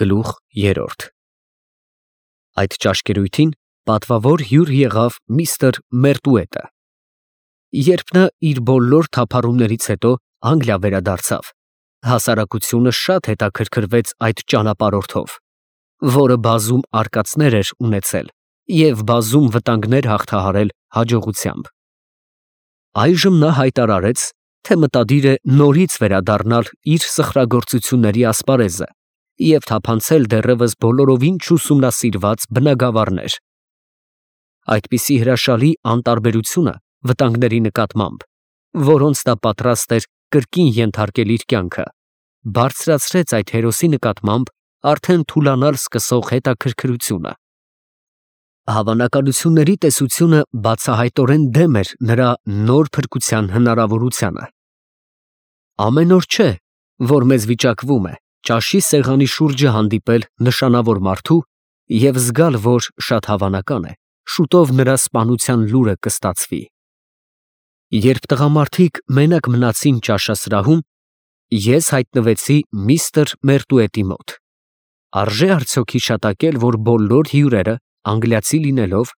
Գլուխ 3 Այդ ճաշկերույթին պատվավոր հյուր եղավ միստր Մերտուետը։ Երբ նա իր բոլոր թափառումներից հետո Անգլիա վերադարձավ, հասարակությունը շատ հետաքրքրվեց այդ ճանապարհորդով, որը բազում արկածներ էր ունեցել և բազում վտանգներ հաղթահարել հաջողությամբ։ Այժմ նա հայտարարեց, թե մտադիր է նորից վերադառնալ իր սխրագործությունների ասպարեզը և թափանցել դեռևս բոլորովին չուսումնասիրված բնագավառներ։ Այդպիսի հրաշալի անտարբերությունը վտանգների նկատմամբ, որոնց նա պատրաստ էր կրկին ենթարկել իր կյանքը, բարձրացրեց այդ հերոսի նկատմամբ արդեն թուլանալ սկսող հետաքրքրությունը։ Հավանականությունների տեսությունը բացահայտորեն դեմ էր նրա նոր փրկության հնարավորությանը։ Ամեն օր չէ, որ մեզ վիճակվում է ճաշի սեղանի շուրջը հանդիպել նշանավոր մարդու և զգալ, որ շատ հավանական է, շուտով նրա սպանության լուրը կստացվի։ Երբ տղամարդիկ մենակ մնացին ճաշասրահում, ես հայտնվեցի միստր Մերտուետի մոտ։ Արժե արդյոք հիշատակել, որ բոլոր հյուրերը, անգլիացի լինելով,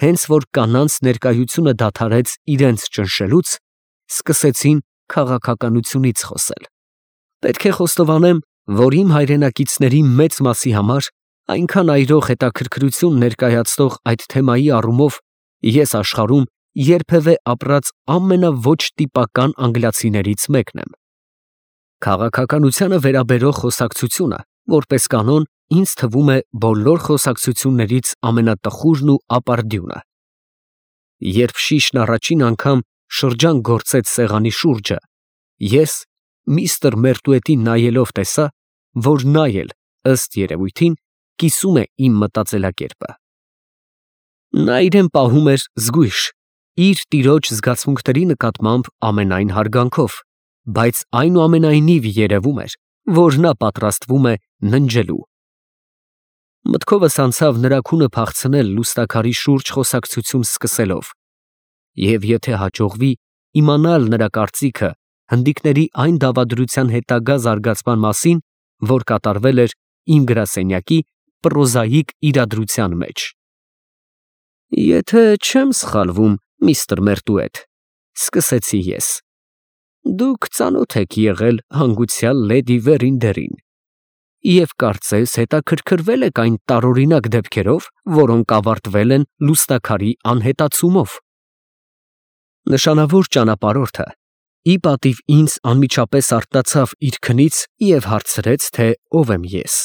հենց որ կանանց ներկայությունը դադարեց իրենց ճնշելուց, սկսեցին քաղաքականությունից խոսել։ Պետք է խոստովանեմ, որ իմ հայրենակիցների մեծ մասի համար այնքան այրող հետաքրքրություն ներկայացնող այդ թեմայի առումով ես աշխարհում երբևէ ապրած ամենավոչ տիպական անգլիացիներից մեկն եմ։ Քաղաքականությանը վերաբերող խոսակցությունը, որպես կանոն, ինձ թվում է բոլոր խոսակցություններից ամենատխուրն ու ապարդյունը։ Երբ շիշն առաջին անգամ շրջան գործեց սեղանի շուրջը, ես միստր Մերտուետին նայելով տեսա, որ նա էլ, ըստ երևույթին, կիսում է իմ մտածելակերպը։ Նա իրեն պահում էր զգույշ, իր տիրոջ զգացմունքների նկատմամբ ամենայն հարգանքով, բայց այնուամենայնիվ երևում էր, որ նա պատրաստվում է ննջելու։ Մտքովս անցավ նրա քունը փախցնել լուստաքարի շուրջ խոսակցություն սկսելով, և եթե հաջողվի իմանալ նրա կարծիքը հնդիկների այն դավադրության հետագա զարգացման մասին, որ կատարվել էր իմ գրասենյակի պրոզաիկ իրադրության մեջ։ Եթե չեմ սխալվում, միստր Մերտուետ, սկսեցի ես, դուք ծանոթ եք եղել հանգուցյալ լեդի Վերինդերին և կարծես հետաքրքրվել եք այն տարօրինակ դեպքերով, որոնք ավարտվել են լուստաքարի անհետացումով։ Նշանավոր ճանապարհորդը ի պատիվ ինձ անմիջապես արտացավ իր քնից և հարցրեց, թե ով եմ ես։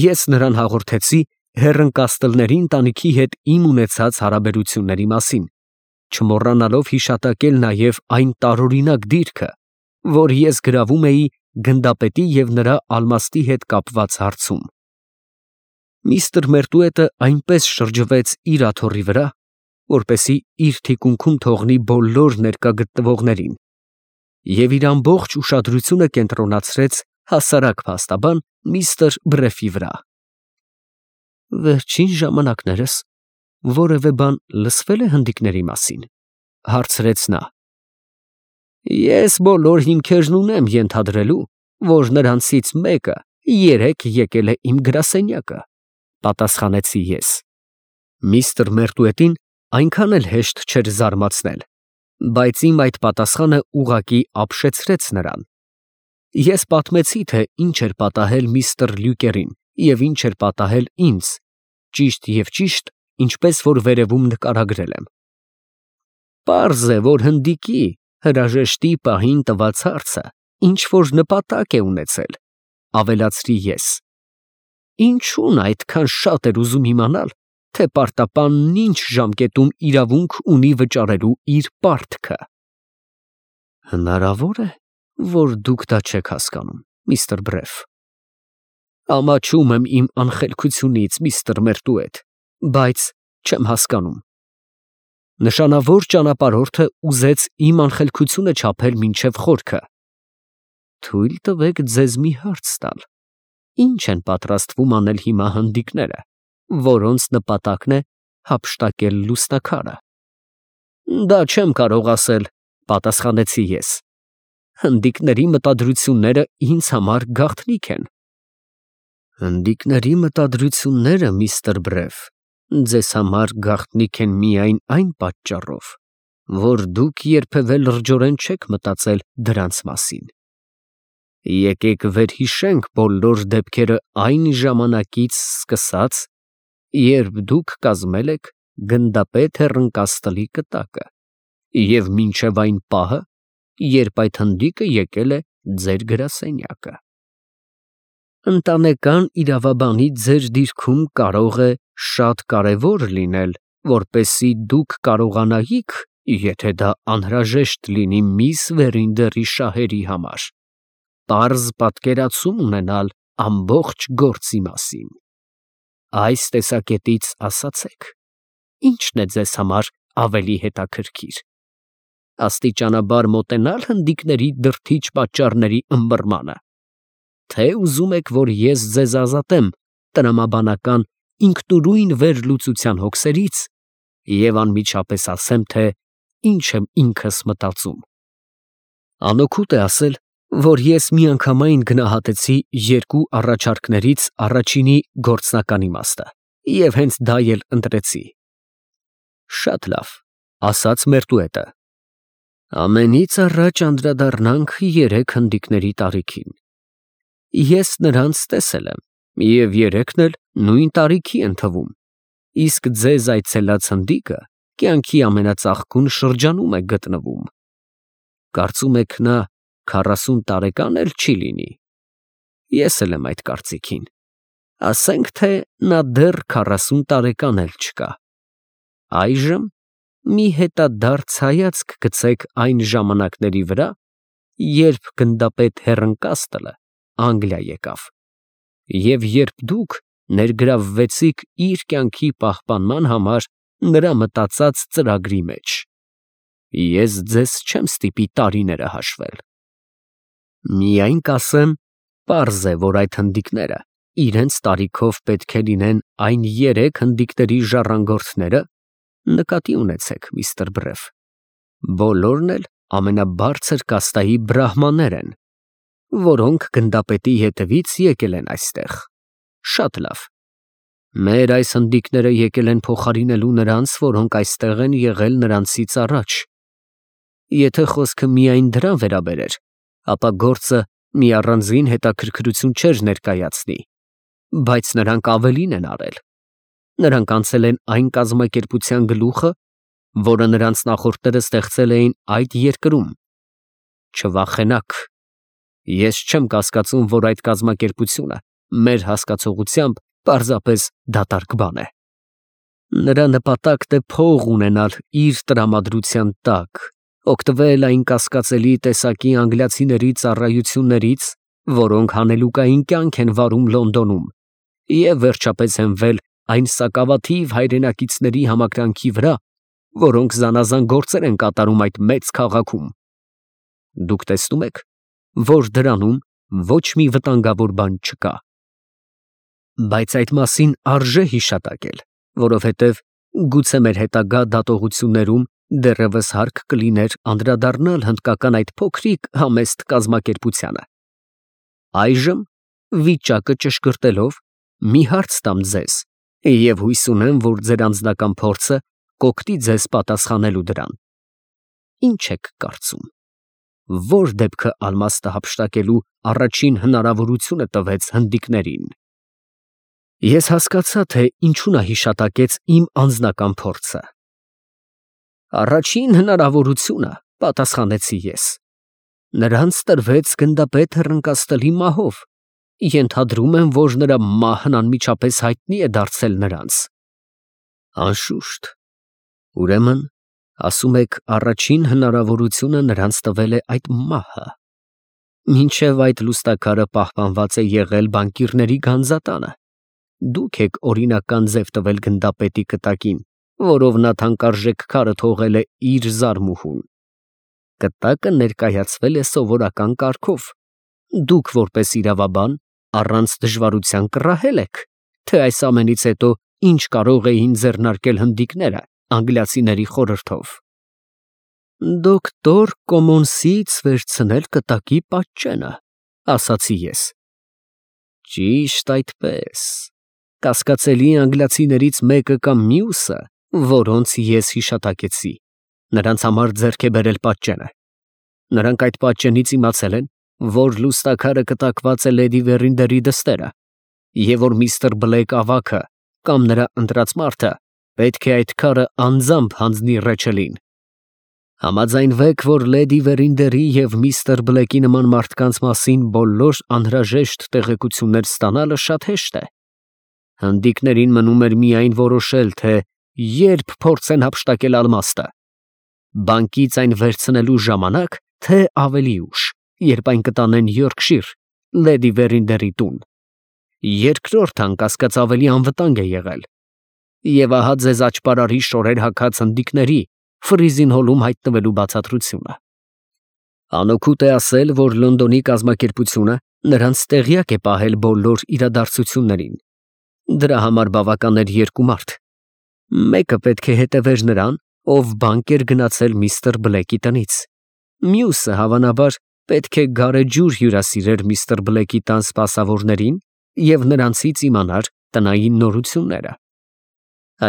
Ես նրան հաղորդեցի հեռընկաստլների ընտանիքի հետ իմ ունեցած հարաբերությունների մասին, չմոռանալով հիշատակել նաև այն տարօրինակ դիրքը, որ ես գրավում էի գնդապետի և նրա ալմաստի հետ կապված հարցում։ Միստր Մերտուետը այնպես շրջվեց իր աթոռի վրա, որպեսզի իր թիկունքում թողնի բոլոր ներկա գտնվողներին, և իր ամբողջ ուշադրությունը կենտրոնացրեց հասարակ փաստաբան միստր Բրեֆի վրա։ Վերջին ժամանակներս որևէ բան լսվե՞լ է հնդիկների մասին, հարցրեց նա։ Ես բոլոր հիմքերն ունեմ ենթադրելու, որ նրանցից մեկը երեկ եկել է իմ գրասենյակը, պատասխանեցի ես։ Միստր Մերտուետին այնքան էլ հեշտ չէր զարմացնել, բայց իմ այդ պատասխանը ուղղակի ապշեցրեց նրան։ Ես պատմեցի, թե ինչ էր պատահել միստր Լյուկերին և ինչ էր պատահել ինձ, ճիշտ և ճիշտ, ինչպես որ վերևում նկարագրել եմ։ Պարզ է, որ հնդիկի հրաժեշտի պահին տված հարցը ինչ֊որ նպատակ է ունեցել, ավելացրի ես։ Ինչու՞ն այդքան շատ էր ուզում իմանալ, թե պարտապանն ինչ ժամկետում իրավունք ունի վճարելու իր պարտքը։ Հնարավոր է, որ դուք դա չեք հասկանում, միստր Բրեֆ։ Ամաչում եմ իմ անխելքությունից, միստր Մերտուետ, բայց չեմ հասկանում։ Նշանավոր ճանապարհորդը ուզեց իմ անխելքությունը չափել մինչև խորքը։ Թույլ տվեք ձեզ մի հարց տալ. ինչ են պատրաստվում անել հիմա հնդիկները, որոնց նպատակն է հափշտակել լուստաքարը։ Դա չեմ կարող ասել, պատասխանեցի ես։ Հնդիկների մտադրությունները ինձ համար գաղտնիք են։ Հնդիկների մտադրությունները, միստր Բրեֆ, ձեզ համար գաղտնիք են միայն այն պատճառով, որ դուք երբևէ լրջորեն չեք մտածել դրանց մասին։ Եկեք վերհիշենք բոլոր դեպքերը այն ժամանակից սկսած, երբ դուք կազմել եք գնդապետ հեռընկաստլի կտակը, և մինչև այն պահը, երբ այդ հնդիկը եկել է ձեր գրասենյակը։ Ընտանեկան իրավաբանի ձեր դիրքում կարող է շատ կարևոր լինել, որպեսզի դուք կարողանայիք, եթե դա անհրաժեշտ լինի միս Վերինդերի շահերի համար, պարզ պատկերացում ունենալ ամբողջ գործի մասին։ Այս տեսակետից ասացեք, ի՞նչն է ձեզ համար ավելի հետաքրքիր. աստիճանաբար մոտենալ հնդիկների դրդիչ պատճառների ըմբռնմանը, թե ուզում եք, որ ես ձեզ ազատեմ տրամաբանական ինքնուրույն վերլուծության հոգսերից և անմիջապես ասեմ, թե ինչ եմ ինքս մտածում։ Անօգուտ է ասել, որ ես միանգամայն գնահատեցի երկու առաջարկներից առաջինի գործնական իմաստը և հենց դա էլ ընտրեցի։ Շատ լավ, ասաց Մերտուետը, ամենից առաջ անդրադառնանք երեք հնդիկների տարիքին։ Ես նրանց տեսել եմ և երեքն էլ նույն տարիքի են թվում, իսկ ձեզ այցելած հնդիկը կյանքի ամենածաղկուն շրջանում է գտնվում։ Կարծում եք նա 40 տարեկան էլ չի լինի։ Ես էլ եմ այդ կարծիքին։ Ասենք, թե նա դեռ 40 տարեկան էլ չկա։ Այժմ մի հետադարձ հայացք գցեք այն ժամանակների վրա, երբ գնդապետ հեռընկաստլը Անգլիա եկավ, և երբ դուք ներգրավվեցիք իր կյանքի պահպանման համար նրա մտածած ծրագրի մեջ։ Ես ձեզ չեմ ստիպի տարիները հաշվել։ Միայն կասեմ, պարզ է, որ այդ հնդիկները իրենց տարիքով պետք է լինեն այն երեք հնդիկների ժառանգորդները, նկատի ունեցեք, միստր Բրեֆ, բոլորն էլ ամենաբարձր կաստայի բրահմաններ են, որոնք գնդապետի հետևից եկել են այստեղ։ Շատ լավ։ Մեր այս հնդիկները եկել են փոխարինելու նրանց, որոնք այստեղ են եղել նրանցից առաջ։ Եթե խոսքը միայն դրան վերաբերեր, ապա գործը մի առանձին հետաքրքրություն չէր ներկայացնի, բայց նրանք ավելին են արել։ Նրանք անցել են այն կազմակերպության գլուխը, որը նրանց նախորդները ստեղծել էին այդ երկրում։ Չվախենաք, ես չեմ կասկածում, որ այդ կազմակերպությունը մեր հասկացողությամբ պարզապես դատարկ բան է։ Նրա նպատակն է փող ունենալ իր տրամադրության տակ, օգտվել այն կասկածելի տեսակի անգլիացիների ծառայություններից, որոնք հանելուկային կյանք են վարում Լոնդոնում, և վերջապես հենվել այն սակավաթիվ հայրենակիցների համակրանքի վրա, որոնք զանազան գործեր են կատարում այդ մեծ քաղաքում։ Դուք տեսնում եք, որ դրանում ոչ մի վտանգավոր բան չկա։ Բայց այդ մասին արժե հիշատակել, որովհետև գուցե մեր հետագա դատողություններում դեռևս հարկ կլիներ անդրադառնալ հնդկական այդ փոքրիկ համեստ կազմակերպությանը։ Այժմ, վիճակը ճշգրտելով, մի հարց տամ ձեզ, և հույս ունեմ, որ ձեր անձնական փորձը կօգնի ձեզ պատասխանելու դրան։ Ինչ եք կարծում, որ դեպքը ալմաստը հափշտակելու առաջին հնարավորությունը տվեց հնդիկներին։ Ես հասկացա, թե ինչու նա հիշատակեց իմ անձնական փորձը։ Առաջին հնարավորությունը, պատասխանեցի ես, նրանց տրվեց գնդապետ հեռընկաստլի մահով։ Ենթադրում եմ, որ նրա մահն անմիջապես հայտնի է դարձել նրանց։ Անշուշտ։ Ուրեմն, ասում եք, առաջին հնարավորությունը նրանց տվել է այդ մահը։ Մինչև այդ լուստաքարը պահպանված է եղել բանկիրների գանձատանը։ Դուք եք օրինական ձև տվել գնդապետի կտակին, որով նա թանկարժեք քարը թողել է իր զարմուհուն։ Կտակը ներկայացվել է սովորական կարգով։ Դուք, որպես իրավաբան, առանց դժվարության կռահել եք, թե այս ամենից հետո ինչ կարող էին ձեռնարկել հնդիկները անգլիացիների խորհրդով։ Դոկտոր Կոմոնսից վերցնել կտակի պատճենը, ասացի ես։ Ճիշտ այդպես։ Կասկածելի անգլիացիներից մեկը կամ մյուսը, որոնց ես հիշատակեցի, նրանց համար ձեռք է բերել պատճենը։ Նրանք այդ պատճենից իմացել են, որ լուսնակարը կտակված է լեդի Վերինդերի դստերը, և որ միստր Բլեյք ավագը կամ նրա ընտրած մարդը պետք է այդ քարը անձամբ հանձնի Ռեչելին։ Համաձայնվեք, որ լեդի Վերինդերի և միստր Բլեյքի նման մարդկանց մասին բոլոր անհրաժեշտ տեղեկություններ ստանալը շատ հեշտ է։ Հնդիկներին մնում էր միայն որոշել, թե երբ փորձեն հափշտակել ալմաստը, բանկից այն վերցնելու ժամանակ, թե ավելի ուշ, երբ այն կտանեն Յորքշիր, լեդի Վերինդերի տուն։ Երկրորդ անկասկած ավելի անվտանգ է եղել։ Եվ ահա ձեզ աճպարարի շորեր հագած հնդիկների Ֆրիզին հոլում հայտնվելու բացատրությունը։ Անօգուտ է ասել, որ Լոնդոնի կազմակերպությունը նրանց տեղյակ է պահել բոլոր իրադարձություններին։ Դրա համար բավական էր երկու մարդ։ Մեկը պետք է հետևեր նրան, ով բանկ էր գնացել միստր Բլեյքի տնից։ Մյուսը, հավանաբար, պետք է գարեջուր հյուրասիրեր միստր Բլեյքի տան սպասավորներին և նրանցից իմանար տնային նորությունները։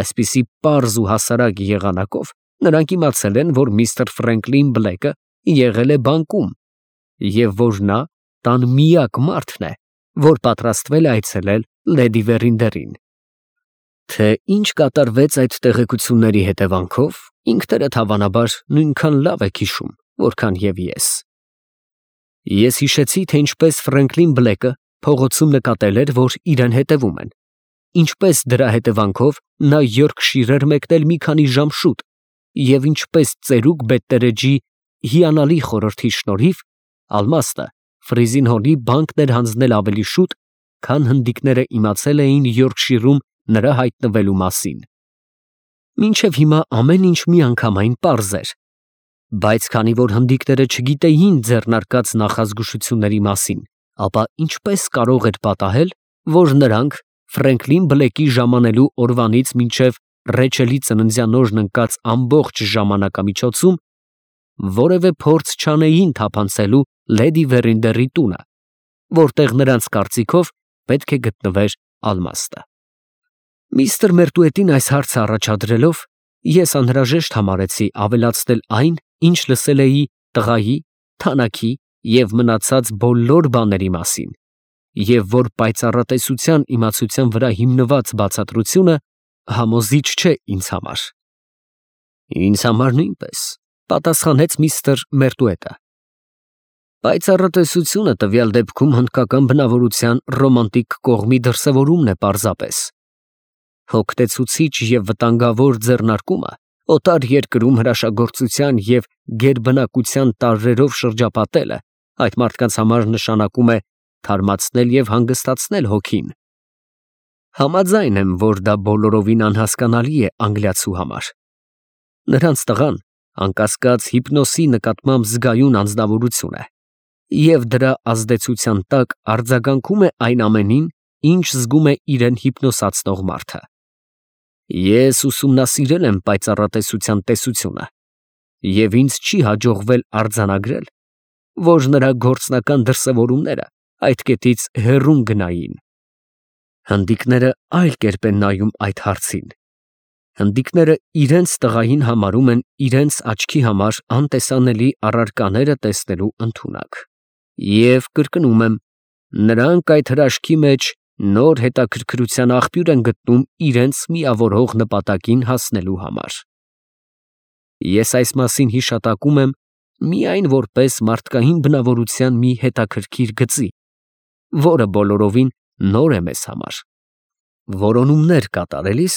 Այսպիսի պարզ ու հասարակ եղանակով նրանք իմացել են, որ միստր Ֆրենկլին Բլեյքը եղել է բանկում և որ նա տան միակ մարդն է, որ պատրաստվել է այցելել լեդի Վերինդերին։ Թե ինչ կատարվեց այդ տեղեկությունների հետևանքով, ինքներդ հավանաբար նույնքան լավ եք հիշում, որքան և ես։ Ես հիշեցի, թե ինչպես Ֆրենկլին Բլեյքը փողոցում նկատել էր, որ իրեն հետևում են, ինչպես դրա հետևանքով նա Յորքշիր էր մեկնել մի քանի ժամ շուտ, և ինչպես ծերուկ Բետտերեջի հիանալի խորհրդի շնորհիվ ալմաստը Ֆրիզին հոլի բանկն էր հանձնել ավելի շուտ, քան հնդիկները իմացել էին Յորքշիրում նրա հայտնվելու մասին։ Մինչև հիմա ամեն ինչ միանգամայն պարզ էր, բայց քանի որ հնդիկները չգիտեին ձեռնարկած նախազգուշությունների մասին, ապա ինչպես կարող էր պատահել, որ նրանք Ֆրենկլին Բլեյքի ժամանելու օրվանից մինչև Ռեչելի ծննդյան օրն ընկած ամբողջ ժամանակամիջոցում որևէ փորձ չանեին թափանցելու լեդի Վերինդերի տունը, որտեղ նրանց կարծիքով պետք է գտնվեր ալմաստը։ Միստր Մերտուետին այս հարցը առաջադրելով, ես անհրաժեշտ համարեցի ավելացնել այն, ինչ լսել էի տղայի, թանաքի և մնացած բոլոր բաների մասին, և որ պայծառատեսության իմացության վրա հիմնված բացատրությունը համոզիչ չէ ինձ համար։ Ինձ համար նույնպես, պատասխանեց միստր Մերտուետը։ Պայծառատեսությունը տվյալ դեպքում հնդկական բնավորության ռոմանտիկ կողմի դրսևորումն է պարզապես։ Հոգնեցուցիչ և վտանգավոր ձեռնարկումը օտար երկրում հրաշագործության և գերբնակության տարրերով շրջապատելը այդ մարդկանց համար նշանակում է թարմացնել և հանգստացնել հոգին։ Համաձայն եմ, որ դա բոլորովին անհասկանալի է անգլիացու համար։ Նրանց տղան, անկասկած, հիպնոսի նկատմամբ զգայուն անձնավորություն է, և դրա ազդեցության տակ արձագանքում է այն ամենին, ինչ զգում է իրեն հիպնոսացնող մարդը։ Ես ուսումնասիրել եմ պայծառատեսության տեսությունը, և ինձ չի հաջողվել արձանագրել, որ նրա գործնական դրսևորումները այդ կետից հեռուն գնային։ Հնդիկները այլ կերպ են նայում այդ հարցին։ Հնդիկները իրենց տղային համարում են իրենց աչքի համար անտեսանելի առարկաները տեսնելու ընդունակ։ Եվ կրկնում եմ, նրանք այդ հրաշքի մեջ նոր հետաքրքրության աղբյուր են գտնում իրենց միավորող նպատակին հասնելու համար։ Ես այս մասին հիշատակում եմ միայն որպես մարդկային բնավորության մի հետաքրքիր գծի, որը բոլորովին նոր է մեզ համար։ Որոնումներ կատարելիս,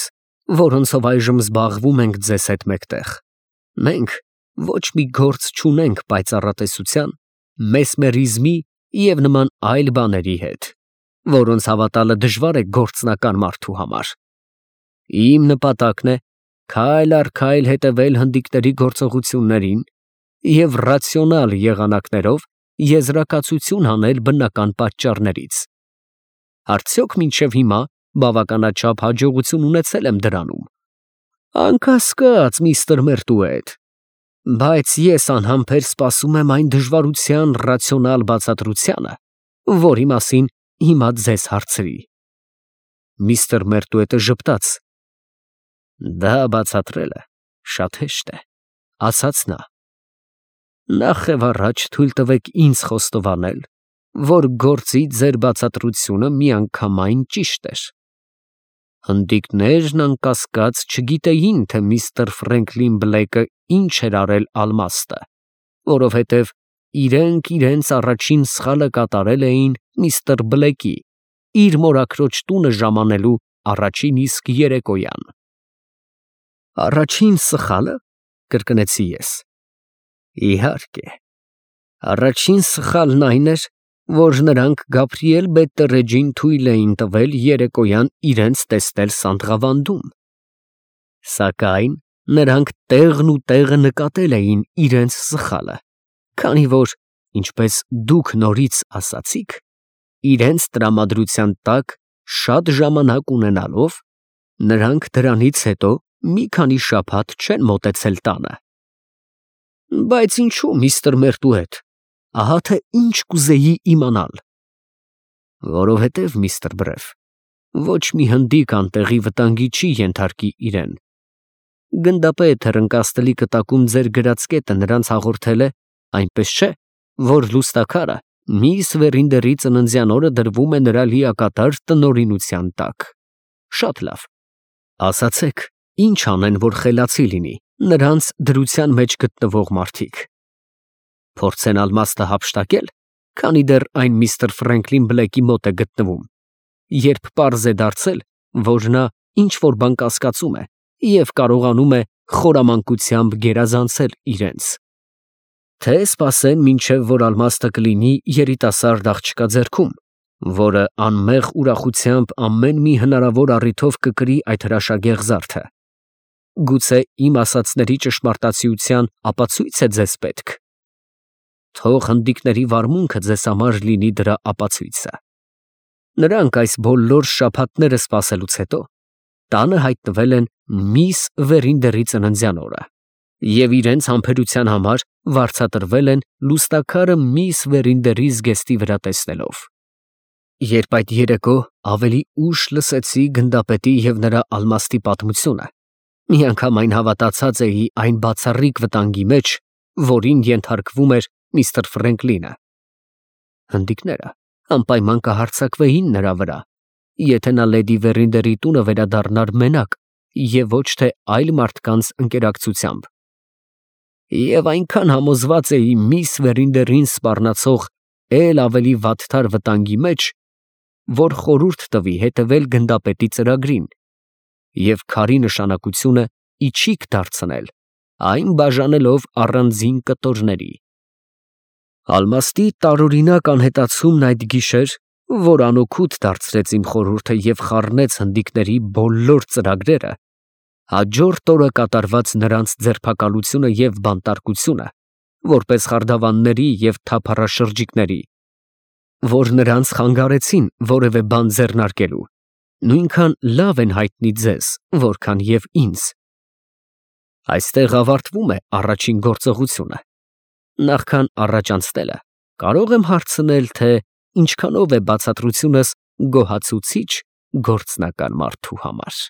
որոնցով այժմ զբաղվում ենք ձեզ հետ մեկտեղ, մենք ոչ մի գործ չունենք պայծառատեսության, մեսմերիզմի և նման այլ բաների հետ, որոնց հավատալը դժվար է գործնական մարդու համար։ Իմ նպատակն է քայլ առ քայլ հետևել հնդիկների գործողություններին և ռացիոնալ եղանակներով եզրակացություն հանել բնական պատճառներից։ Արդյոք մինչև հիմա բավականաչափ հաջողություն ունեցել եմ դրանում։ Անկասկած, միստր Մերտուետ, բայց ես անհամբեր սպասում եմ այն դժվարության ռացիոնալ բացատրությանը, որի մասին հիմա ձեզ հարցրի։ Միստր Մերտուետը ժպտաց։ Դա բացատրելը շատ հեշտ է, ասաց նա։ Նախ եւ առաջ թույլ տվեք ինձ խոստովանել, որ գործի ձեր բացատրությունը միանգամայն ճիշտ էր։ Հնդիկներն անկասկած չգիտեին, թե միստր Ֆրենկլին Բլեյկը ինչ էր արել Ալմաստը, որովհետև իրենք իրենց առաջին սխալը կատարել էին միստր Բլեյկի, իր մորաքրոջ տունը ժամանելու առաջին իսկ երեկոյան։ Առաջին սխալը, կրկնեցի ես։ Իհարկե, առաջին սխալն այն էր, որ նրանք Գաբրիել Բետտերեջին թույլ էին տվել երեկոյան իրենց տեսնել Սանտղավանդում։ Սակայն նրանք տեղն ու տեղը նկատել էին իրենց սխալը, քանի որ, ինչպես դուք նորից ասացիք, իրենց տրամադրության տակ շատ ժամանակ ունենալով, նրանք դրանից հետո մի քանի շաբաթ չեն մոտեցել տանը։ Բայց ինչու, միստր Մերտուետ, ահա թե ինչ կուզեի իմանալ։ Որովհետև, միստր Բրեֆ, ոչ մի հնդիկ անտեղի վտանգի չի ենթարկի իրեն։ Գնդապետ հեռընկաստելի կտակում ձեր գրած կետը նրանց հաղորդել է, այնպես չէ, որ լուստաքարը միս Վերինդերի ծննդյան օրը դրվում է նրա լիակատար տնօրինության տակ։ Շատ լավ։ Ասացեք, ինչ անեն, որ խելացի լինի նրանց դրության մեջ գտնվող մարդիկ։ Փորձեն Ալմաստը հափշտակել, քանի դեռ այն միստր Ֆրենկլին Բլեյկի մոտ է գտնվում, երբ պարզ է դարձել, որ նա ինչ-որ բան կասկածում է և կարողանում է խորամանկությամբ գերազանցել իրենց։ Թե սպասեն, մինչև որ Ալմաստը կլինի երիտասարդ աղջկա ձեռքում, որը անմեղ ուրախությամբ ամեն մի հնարավոր առիթով կկրի այդ հրաշագեղ զարդը։ Գուցե իմ ասածների ճշմարտացիության ապացույց է ձեզ պետք։ Թող հնդիկների վարմունքը ձեզ համար լինի դրա ապացույցը։ Նրանք այս բոլոր շաբաթները սպասելուց հետո տանը հայտնվել են միս Վերինդերի ծննդյան օրը և իրենց համբերության համար վարձատրվել են լուստաքարը միս Վերինդերի զգեստի վրա տեսնելով։ Երբ այդ երեկո ավելի ուշ լսեցի գնդապետի և նրա Ալմաստի պատմությունը, միանգամայն հավատացած էի այն բացառիկ վտանգի մեջ, որին ենթարկվում էր միստր Ֆրենկլինը։ Հնդիկները անպայման կհարձակվեին նրա վրա, եթե նա լեդի Վերինդերի տունը վերադառնար մենակ և ոչ թե այլ մարդկանց ընկերակցությամբ։ Եվ այնքան համոզված էի միս Վերինդերին սպառնացող էլ ավելի վատթար վտանգի մեջ, որ խորհուրդ տվի հետևել գնդապետի ծրագրին և քարի նշանակությունը իչիք դարձնել, այն բաժանելով առանձին կտորների։ Ալմաստի տարօրինակ անհետացումն այդ գիշեր, որ անօգուտ դարձրեց իմ խորհուրդը և խառնեց հնդիկների բոլոր ծրագրերը, հաջորդ օրը կատարված նրանց ձերբակալությունը և բանտարկությունը, որպես խարդավանների և թափառաշրջիկների, որ նրանց խանգարեցին որևէ բան ձեռնարկելու, նույնքան լավ են հայտնի ձեզ, որքան և ինձ։ Այստեղ ավարտվում է առաջին գործողությունը։ Նախքան առաջ անցնելը, կարող եմ հարցնել, թե ինչքանով է բացատրությունս գոհացուցիչ գործնական մարդու համար։